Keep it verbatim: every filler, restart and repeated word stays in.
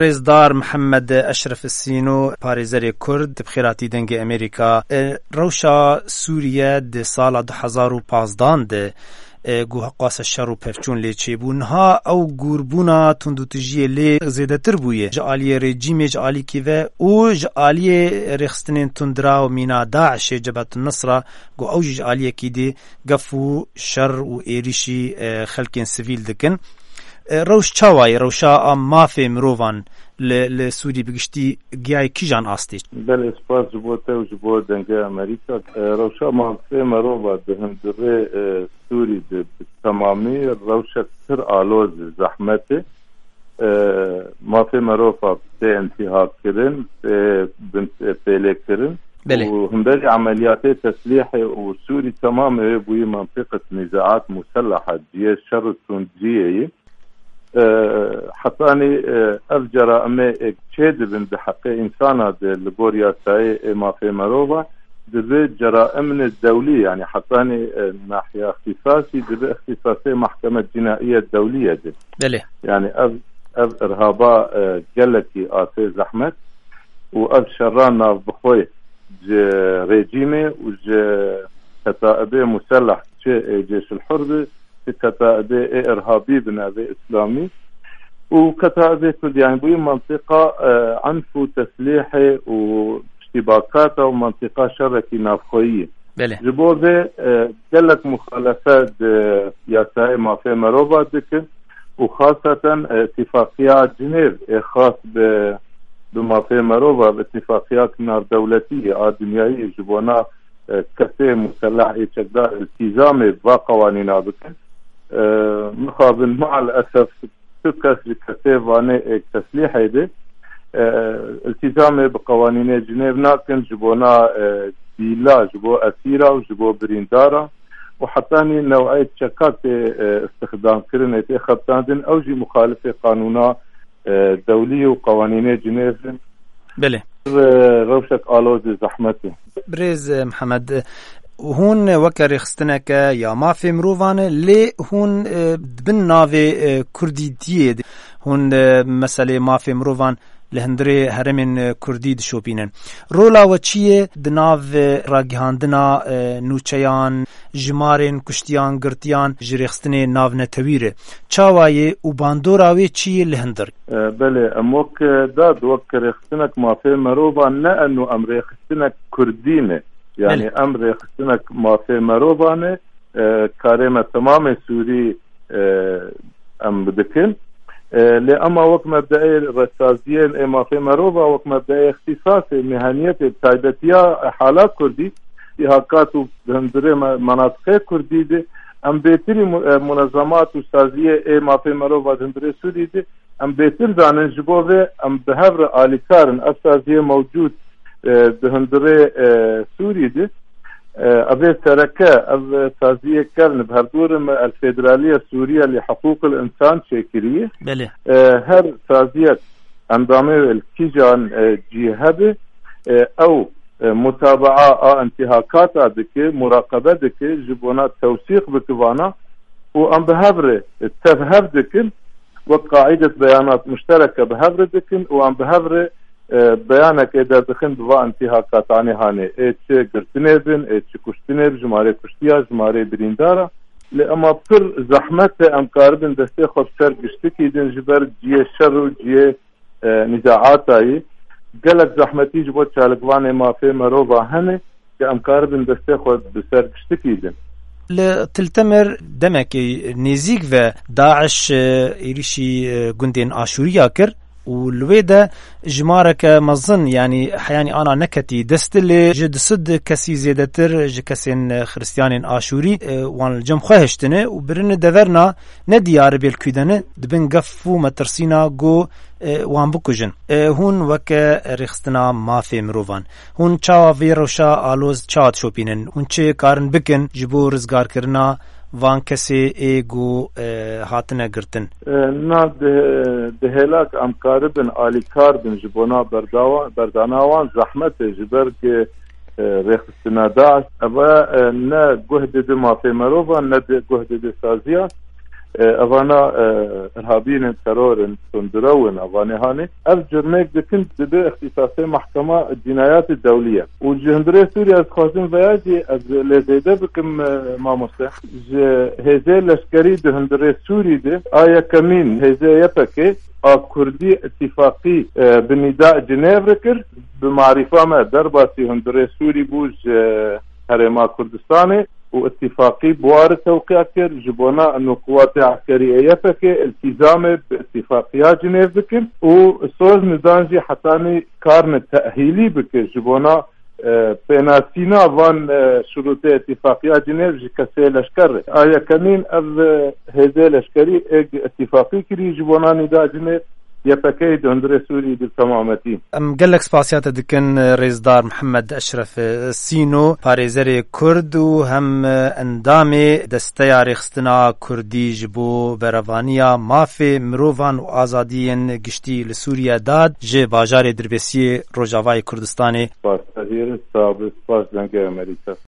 Rêzdar Mihemed Eşref Sîno, parêzerê Kurd, bi xêratî Dengê Amerîka. E, rewşa Sûriye di sala du hezar û pazdan de, e, ku heqwase şer û pevçûn lê çêbû. Niha ew gûrbûna tundûtijiyê lê zêdetir bûye. Ji aliyê rejîmê ji alîkî ve û ji aliyê rêxistinên tundra û mîna DAIŞê, Cebhetun Nusra, ku ew jî ji aliyekî dî gef û şer û êrîşî, e, xelkên sivîl dikin. E, rewş çawa ye? Rewşa a mafê mirovan li, li Sûrî bi giştî giyayê kîjan astê? Belê, spas ji bo te û ji bo Dengê Amerîka. E, rewşa mafê merova di hundirê, e, Sûrî de bi temamî rewşek pir aloz e, zehmet e. E, mafê merova tê intîhakkirin, tê bin, tê pêlêkirin. Belê. Û hemberî emeliyatê teslîhê û Sûrî temamê wê bûyî mentiqet nîzaat musellaha, cihê şer û tundciyê yî. E, hetanî, e, ev ceraimê ê çê dibin di heqê însana de li gor yasayê ê mafê merova, dibe ceraimine dewlî, yanî hetanî, e, nahiya îxtîsasî dibe îxtîsasê Mahkeme Cînaiye Dewlîye de. Belê. Yanî ev, ev irhaba, e, gelekî asê zehmet û ev şerra navbixwe ji rejîmê û ji ketaibê musellah, çi ê Cêşil Hur bi, çi ketaibê ê irhabî bi navê îslamî û ketaibê Kurd, yanî bûyî mentiqa, e, enf û teslîhê û piştîbakata û mentiqa şerekî navxweyî. Belê. Ji bo vê, e, gelek muxalefe di yasayê mafê merova dikin û xaseten, e, îtîfaqiya Cinêv ê xas bi, bi mafê merova, bi îtîfaqiya navdewletî a dinyayî ji bona, e, kesê musellah ê çekdar îltîzamê va qewanîna bikin. E, mixabin, maalesef tu kes ji kesê vanê ê teslîhê de, e, îltîzamê bi qewanînê Cinêv nakin ji bona, e, dîla, ji bo esîra û ji bo birîndara û hetanî new'ê çeka tê, e, istixdamkirin, ê tê xebitandin, ew jî muxalifê qanûna, e, dewlî û qewanînê Cinêv in. Belê. Re-, rewşek alozê zehmetê. Birêz, e, Mihemed, e, hûn weke rêxistineke ya mafê mirovan e, lê hûn, e, di bin navê, e, kurdîtiyê de hûn, e, meselê mafê mirovan li hundirê herêmên, e, kurdî dişopînin. Rola we çi ye di nav, e, ragihandina, e, nûçeyan, jimarên kuştiyan, girtiyan ji rêxistinê navnetewî re? Çawa ye û bandora wê çi ye li hundir? E, belê, em wek, e, dad, wek rêxistinek mafê merovan ne, eno em rêxistinek kurdî ne. Yani Belê. Em rêxistinek mafê merovan e, e, karê me temamê Sûrî, e, em bidikin. E, lê ema wek mebdeê resaziyên ê mafê merova, wek mebdeê îxtîsasê, mehaniyetê, taybetiya hala kurdî, îhakat û hundirê me-, menatiqê kurdî de, em bêtirî mu-, e, munezemat û saziyê ê mafê merova di hundirê Sûrî de, em bêtir zanin, ji bo vê em bi hev re alîkar in. Ev saziyê mewcûd, e, di hundirê, e, Sûrî de, e, ev ê sereke, ev saziyê kevn bi hevdû re me El Federaliye Sûriye li Hiqûqil Însan çêkiriye. Belê. E, her saziyek endamê wê li kîjan, e, cî hebe, e, ew, e, mutabaa a intîhakata dike, muraqebe dike, ji bona tewsîq bike vana û em bi hev re, e, tev hev dikin, wek qaidet beyanat muştereke bi hev re dikin û em bi hev re, e, beyanekê derdixin bi va intîhakatanê hanê. Ê çi girtinê bin, ê çi kuştinê bi, jimarê kuştiya, jimarê birîndara. Lê ema pir zehmet e em karibin destê xwe bi ser giştikî din ji ber ciyê şer û ciyê, e, nîzaata yî. Gelek zehmetî ji bo çalikvanê mafê merova hene. Ke em karibin destê xwe bi ser giştikî din. Li Til Temer demekê nêzîk ve DAIŞ, e, êrîşî, e, gundên Aşûriya kir û li wê de jimareke mezin, yanî heyanî ana neketî dest, lê ji du sed kesî zêdetir ji kesên, e, xiristiyanên Aşûrî, e, wan li cem xwe hiştine û birine deverna nediyar bê li kû de ne, dibin gef û metirsîna ku, e, wan bikujin. E, hûn weke rêxistina mafê mirovan, hûn çawa vê rewşa aloz çawa dişopînin? Hûn çi karin bikin ji bo rizgarkirina van kesê ê ku, e, hatine girtin? E, na di, di hêlak em karibin alîkar bin ji bona berdawa-, berdana wan zehmet e, ji ber ku, e, rêxistina DAIŞ, eve, e, ne guh dide mafê merova, ne de guh dide saziya. E, evana, e, irhabîn in, teror in, tundrew in, evanê hanê. Ev curmek dikin dibe îxtîsasê Mahkema Cînayatê Dewlî ye. Û ji hundirê Sûriyê ez dixwazim veya jî ez lê zêde bikim, e, mamoste. Ji hêzê leşkerî di hundirê Sûrî de a yekemîn hêzê Y P G a Kurdî îtîfaqî, e, bi nîda Cinêvrê kir. Bi marîfa me derbasî hundirê Sûrî bû ji Herêma Kurdistanê û îtîfaqî bi wa re tewqîa kir. Ji bona ino quwatê eskerî ê Y P G îltîzamê bi îtîfaqiya Cinêv bikin û soz nidan jî hetanî karine tehîlî bike ji bona, e, pênasîna van, e, şurûtê îtîfaqiya Cinêv ji kesê leşker re. A yekemîn ev, e, hêzê leşkerî êk îtîfaqî kirî ji bona nîda Cinêv. Y P G di hundirê Sûrî di temametî. Em gelek spasiya te dikin, Rêzdar Mihemed Eşref Sîno, parêzerê Kurd û hem endamê Desteya Rêxistina Kurdî ji bo berevaniya mafê mirovan û azadiyên giştî li Sûriye de ji bajarê Dirbêsiyê Rojavayê Kurdistanê. Spas, ez ê spas, spas Dengê Amerîka.